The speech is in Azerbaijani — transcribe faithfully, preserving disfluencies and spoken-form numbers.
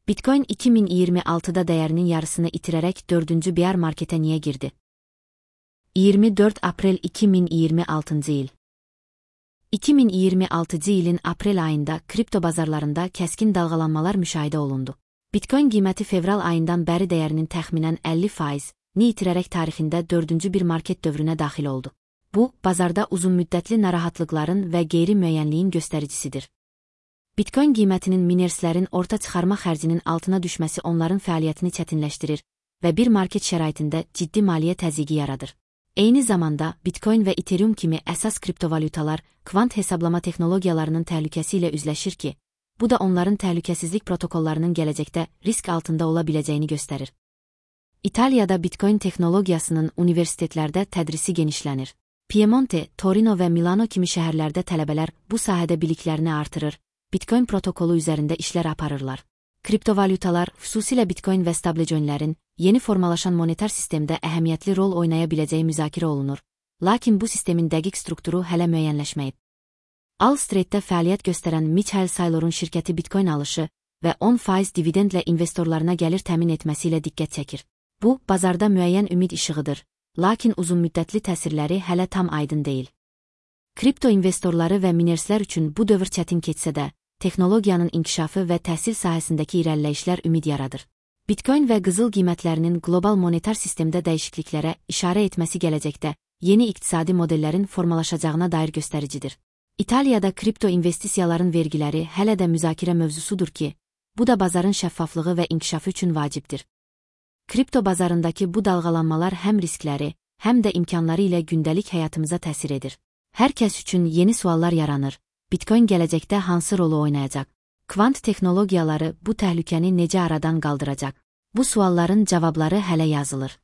Bitcoin iki min iyirmi altıda dəyərinin yarısını itirərək dördüncü bear marketə niyə girdi? iyirmi dörd aprel iki min iyirmi altıncı il. iki min iyirmi altıncı ilin aprel ayında kripto bazarlarında kəskin dalğalanmalar müşahidə olundu. Bitcoin qiyməti fevral ayından bəri dəyərinin təxminən əlli faizini itirərək tarixində dördüncü bir market dövrünə daxil oldu. Bu, bazarda uzunmüddətli narahatlıqların və qeyri-müəyyənliyin göstəricisidir. Bitcoin qiymətinin minerslərin orta çıxarma xərcinin altına düşməsi onların fəaliyyətini çətinləşdirir və bir market şəraitində ciddi maliyyə təzyiqi yaradır. Eyni zamanda, Bitcoin və Ethereum kimi əsas kriptovalyutalar kvant hesablama texnologiyalarının təhlükəsi ilə üzləşir ki, bu da onların təhlükəsizlik protokollarının gələcəkdə risk altında ola biləcəyini göstərir. İtaliyada Bitcoin texnologiyasının universitetlərdə tədrisi genişlənir. Piemonte, Torino və Milano kimi şəhərlərdə tələbələr bu sahədə biliklərini artırır, Bitcoin protokolu üzərində işlər aparırlar. Kriptovalyutalar, xüsusilə Bitcoin və stablecoinlərin yeni formalaşan monetar sistemdə əhəmiyyətli rol oynaya biləcəyi müzakirə olunur, lakin bu sistemin dəqiq strukturu hələ müəyyənləşməyib. Wall Streetdə fəaliyyət göstərən Michael Saylor'un şirkəti Bitcoin alışı və on faiz dividendlə investorlarına gəlir təmin etməsi ilə diqqət çəkir. Bu, bazarda müəyyən ümid işığıdır, lakin uzunmüddətli təsirləri hələ tam aydın deyil. Kripto investorları və minerslər üçün bu dövr çətin keçsə də, texnologiyanın inkişafı və təhsil sahəsindəki irəliləyişlər ümid yaradır. Bitcoin və qızıl qiymətlərinin qlobal monetar sistemdə dəyişikliklərə işarə etməsi gələcəkdə yeni iqtisadi modellərin formalaşacağına dair göstəricidir. İtaliyada kripto investisiyaların vergiləri hələ də müzakirə mövzusudur ki, bu da bazarın şəffaflığı və inkişafı üçün vacibdir. Kripto bazarındakı bu dalğalanmalar həm riskləri, həm də imkanları ilə gündəlik həyatımıza təsir edir. Hər kəs üçün yeni suallar yaranır. Bitcoin gələcəkdə hansı rolu oynayacaq? Kvant texnologiyaları bu təhlükəni necə aradan qaldıracaq? Bu sualların cavabları hələ yazılır.